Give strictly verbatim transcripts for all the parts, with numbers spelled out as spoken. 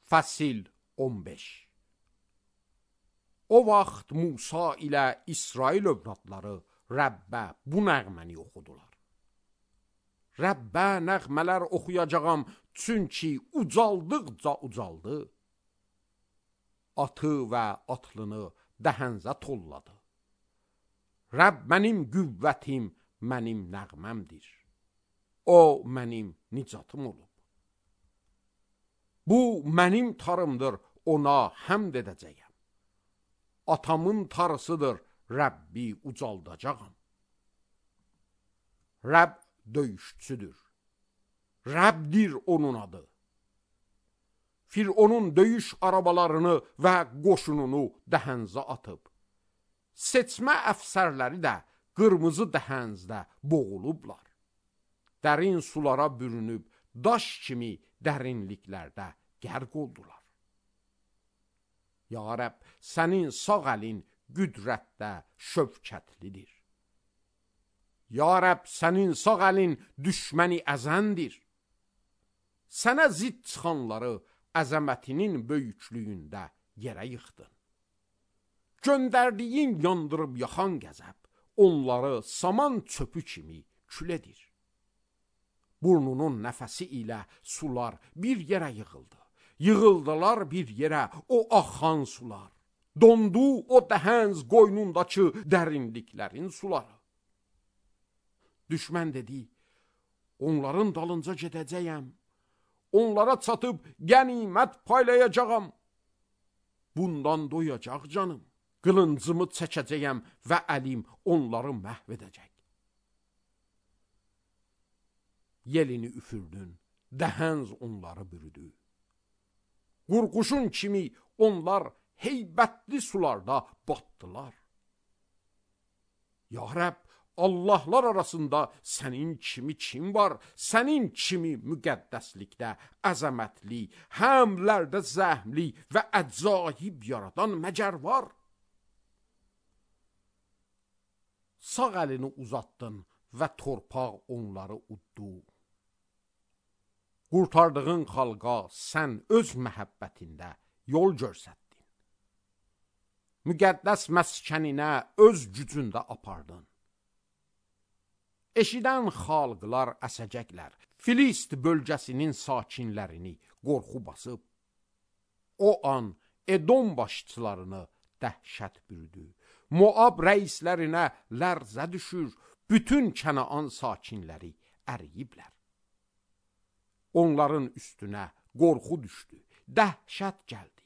Fəsil on beş. O vaxt Musa ilə İsrail övladları Rəbbə bu nəğməni oxudular. Rəbbə nəğmələr oxuyacağam, çünki ucaldıqca ucaldı. Atı və atlını dəhənzə tolladı. Rəbb mənim qüvvətim, mənim nəğməmdir. O mənim nicatım olub. Bu mənim tarımdır, ona həmd edəcəyəm. Atamın tarısıdır, Rəbbi ucaldacağam. Rəbb döyüşçüdür. Rəbbdir onun adı. Fironun döyüş arabalarını və qoşununu dəhənzə atıb. Seçmə əfsərləri də qırmızı dəhənzdə boğulublar. Dərin sulara bürünüb, daş kimi dərinliklərdə qərq oldular. Ya Rəbb, sənin sağ əlin qüdrətdə şövkətlidir. Ya Rəbb, sənin sağ əlin düşməni əzəndir. Sənə zidd çıxanları əzəmətinin böyüklüyündə yerə yıxdın. Göndərdiyin yandırıb yaxan qəzəb, onları saman çöpü kimi kül edir. Burnunun nəfəsi ilə sular bir yerə yığıldı. Yığıldılar bir yerə o axan sular. Dondu o dəhənz qoynundakı dərinliklərin suları. Düşmən dedi, onların dalınca gedəcəyəm. Onlara çatıb qənimət paylayacağam. Bundan doyacaq canım. Qılıncımı çəkəcəyəm və əlim onları məhv edəcək. Yelini üfürdün, dəhənz onları bürüdü. Qurquşun kimi onlar heybətli sularda batdılar. Ya Rəbb, Allahlar arasında sənin kimi kim var? Sənin kimi müqəddəslikdə əzəmətli, həmlərdə zəhmli və əcaib yaradan məgər var? Sağ əlini uzatdın və torpaq onları uddu. Qurtardığın xalqa sən öz məhəbbətində yol görsətdin. Müqəddəs məskəninə öz gücündə apardın. Eşidən xalqlar əsəcəklər. Filist bölgəsinin sakinlərini qorxu basıb. O an Edom başçılarını dəhşət bürüdü. Moab rəislərinə lərzə düşür. Bütün Kənaan sakinləri əriyiblər. Onların üstünə qorxu düşdü. Dəhşət gəldi.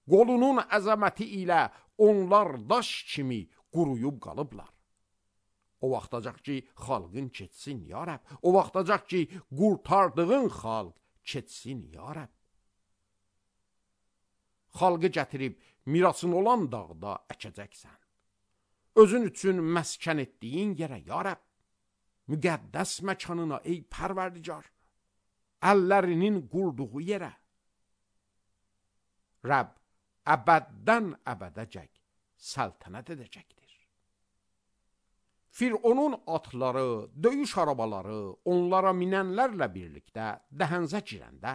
Qolunun əzəməti ilə onlar daş kimi quruyub qalıblar. O vaxtacaq ki, xalqın keçsin, ya Rəbb. O vaxtacaq ki, qurtardığın xalq keçsin, ya Rəbb. Xalqı gətirib mirasın olan dağda əkəcəksən. Özün üçün məskən etdiyin yerə, ya Rəbb. Müqəddəs məkanına, ey pərverdigar. Əllərinin qurduğu yerə. Rəbb əbəddən əbədəcək səltənət edəcəkdir. Fironun atları, döyüş arabaları onlara minənlərlə birlikdə dəhənzə girəndə,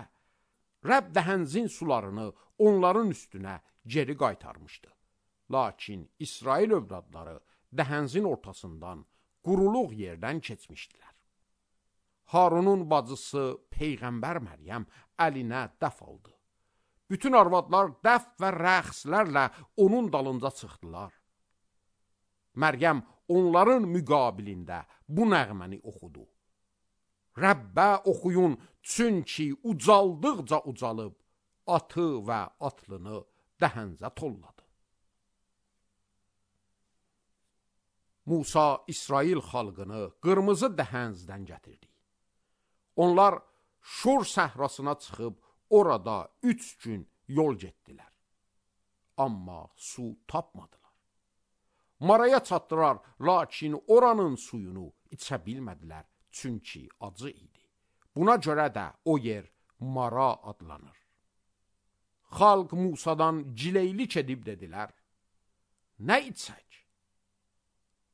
Rəbb dəhənzin sularını onların üstünə geri qaytarmışdı. Lakin İsrail övladları dəhənzin ortasından quruluq yerdən keçmişdilər. Harunun bacısı Peyğəmbər Məryəm əlinə dəf aldı. Bütün arvadlar dəf və rəqslərlə onun dalınca çıxdılar. Məryəm onların müqabilində bu nəğməni oxudu. Rəbbə oxuyun, çünki ucaldıqca ucalıb, atı və atlını dəhənzə tolladı. Musa İsrail xalqını qırmızı dəhənzdən gətirdi. Onlar Şur səhrasına çıxıb orada üç gün yol getdilər. Amma su tapmadılar. Maraya çatdılar, lakin oranın suyunu içə bilmədilər, çünki acı idi. Buna görə də o yer Mara adlanır. Xalq Musadan cileylik edib dedilər, nə içək?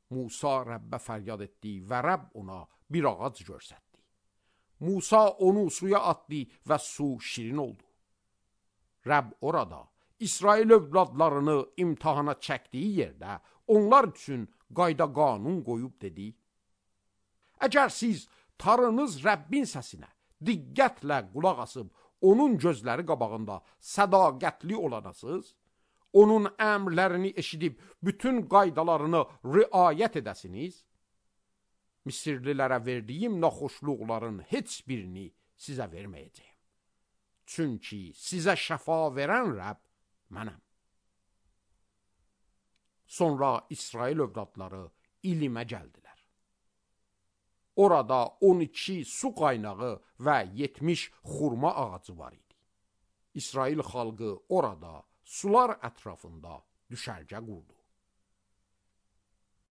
Musa Rəbbə fəryad etdi və Rəbb ona bir ağac görsətdi. Musa onu suya atdı və su şirin oldu. Rəbb orada İsrail övladlarını imtihana çəkdiyi yerdə onlar üçün qayda qanun qoyub dedi: Əgər siz tarınız Rəbbin səsinə diqqətlə qulaq asıb, onun gözləri qabağında sədaqətli olanasınız, onun əmrlərini eşidib, bütün qaydalarını riayət edəsiniz, Misirlilərə verdiyim naxoşluqların heç birini sizə verməyəcəyim. Çünki sizə şəfa verən Rəbb mənəm. Sonra İsrail övladları ilimə gəldilər. Orada on iki su qaynağı və yetmiş xurma ağacı var idi. İsrail xalqı orada sular ətrafında düşərgə qurdu.